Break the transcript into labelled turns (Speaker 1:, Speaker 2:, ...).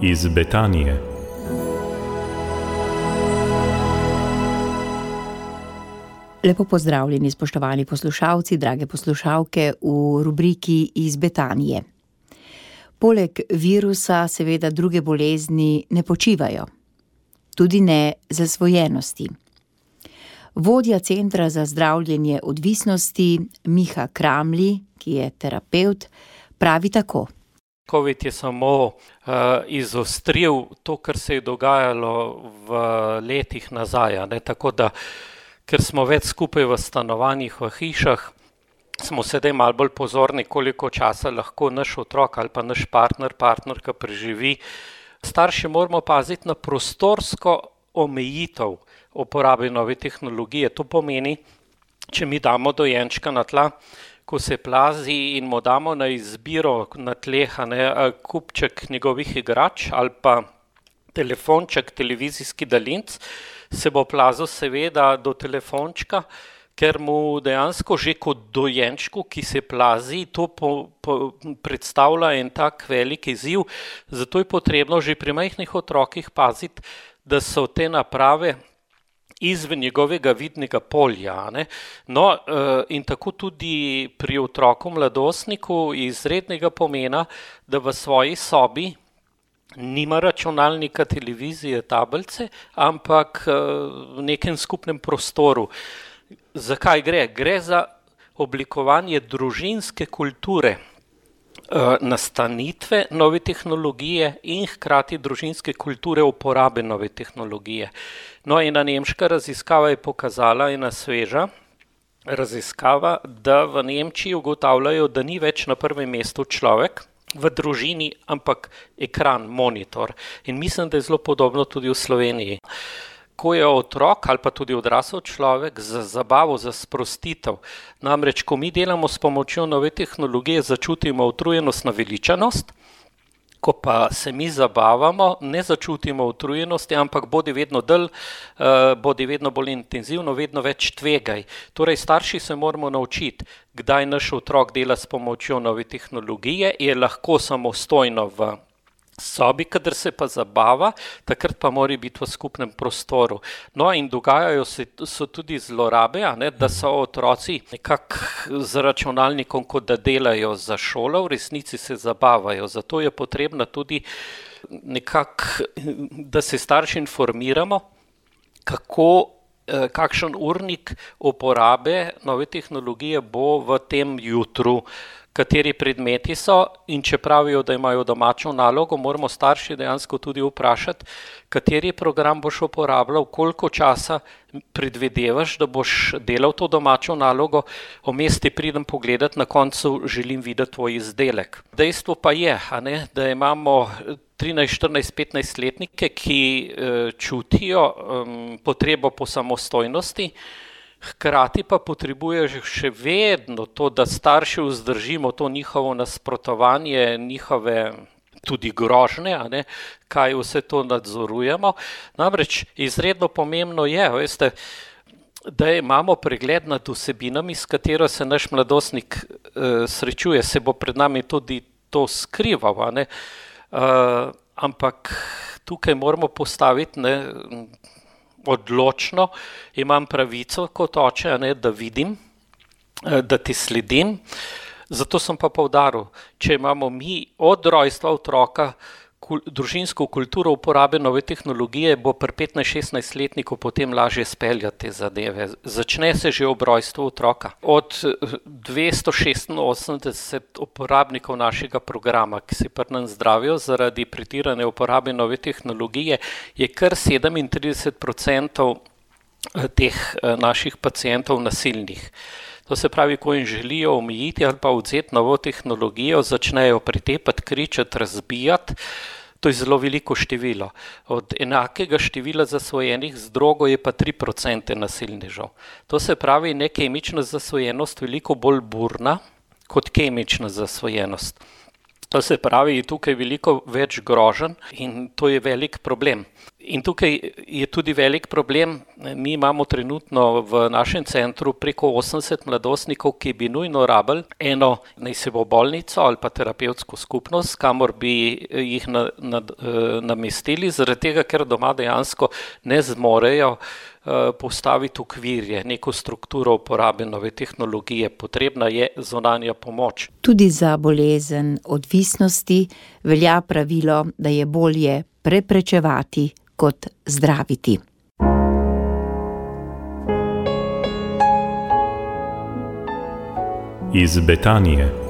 Speaker 1: iz Betanije.
Speaker 2: Lepo pozdravljeni, spoštovani poslušalci, drage poslušalke v rubriki iz Betanije. Poleg virusa seveda druge bolezni ne počivajo, tudi ne zasvojenosti. Vodja Centra za zdravljenje odvisnosti Miha Kramli, ki je terapevt, pravi tako.
Speaker 3: COVID je samo izostril to, kar se je dogajalo v letih nazaj, ne? Tako da, ker smo več skupaj v stanovanjih, v hišah, smo sedaj malo bolj pozorni, koliko časa lahko naš otrok ali pa naš partnerka preživi. Starši moramo paziti na prostorsko omejitev uporabe nove tehnologije. To pomeni, če mi damo dojenčka na tla, ko se plazi in mu damo na izbiro na tleh kupček njegovih igrač ali pa telefonček, televizijski daljinec, se bo plazil seveda do telefončka, ker mu dejansko že kot dojenčku, ki se plazi, to predstavlja en tak velik izziv. Zato je potrebno že pri majhnih otrokih paziti, da so te naprave izven njegovega vidnega polja. Ne? No, in tako tudi pri otroku mladostniku izrednega pomena, da v svoji sobi nima računalnika, televizije, tablice, ampak v nekem skupnem prostoru. Zakaj gre? Gre za oblikovanje družinske kulture, nastanitve nove tehnologije in hkrati družinske kulture uporabe nove tehnologije. No, ena nemška raziskava je pokazala, ena sveža raziskava, da v Nemčiji ugotavljajo, da ni več na prvem mestu človek v družini, ampak ekran, monitor. In mislim, da je zelo podobno tudi v Sloveniji. Ko je otrok ali pa tudi odrasel človek za zabavo, za sprostitev. Namreč, ko mi delamo s pomočjo nove tehnologije, začutimo utrujenost, naveličanost, ko pa se mi zabavamo, ne začutimo utrujenosti, ampak bodi vedno bolj intenzivno, vedno več tvegaj. Torej, starši se moramo naučiti, kdaj naš otrok dela s pomočjo nove tehnologije, je lahko samostojno v sobi, kadar se pa zabava, takrat pa mora biti v skupnem prostoru. No, in dogajajo so tudi zlorabe, da so otroci nekako z računalnikom, kot da delajo za šolo, v resnici se zabavajo. Zato je potrebno tudi nekako, da se starši informiramo, kakšen urnik uporabe nove tehnologije bo v tem jutru, kateri predmeti so, in če pravijo, da imajo domačo nalogo, moramo starši dejansko tudi vprašati, kateri program boš uporabljal, koliko časa predvidevaš, da boš delal to domačo nalogo, vmes ti pridem pogledat, na koncu želim videti tvoj izdelek. Dejstvo pa je, da imamo 13, 14, 15-letnike, ki čutijo potrebo po samostojnosti, hkrati pa potrebuje še vedno to, da starši vzdržimo to njihovo nasprotovanje, njihove tudi grožnje, kaj vse to nadzorujemo. Namreč izredno pomembno je, veste, da imamo pregled nad vsebinami, s katero se naš mladostnik srečuje, se bo pred nami tudi to skrival, ampak tukaj moramo postaviti odločno, imam pravico kot oče, da vidim, da ti sledim. Zato sem pa poudaril, če imamo mi od rojstva otroka družinsko kulturo uporabe nove tehnologije, bo pri 15-16-letniku potem lažje speljati te zadeve. Začne se že ob rojstvu otroka. Od 286 uporabnikov našega programa, ki se pri nas zdravijo zaradi pretirane uporabe nove tehnologije, je kar 37% teh naših pacientov nasilnih. To se pravi, ko jim želijo omejiti ali pa vzeti novo tehnologijo, začnejo pretepati, kričati, razbijati. To je zelo veliko število. Od enakega števila zasvojenih z drogo je pa 3% nasilnežev. To se pravi, nekemična zasvojenost veliko bolj burna kot kemična zasvojenost. To se pravi, je tukaj veliko več groženj in to je velik problem. In tukaj je tudi velik problem. Mi imamo trenutno v našem centru preko 80 mladostnikov, ki bi nujno rabili eno, naj se bo bolnico ali pa terapevtsko skupnost, kamor bi jih namestili, zaradi tega, ker doma dejansko ne zmorejo postaviti okvirje, neko strukturo uporabe nove tehnologije. Potrebna je zunanja pomoč.
Speaker 2: Tudi za bolezen odvisnosti velja pravilo, da je bolje preprečevati kot zdraviti.
Speaker 1: Iz Betanije.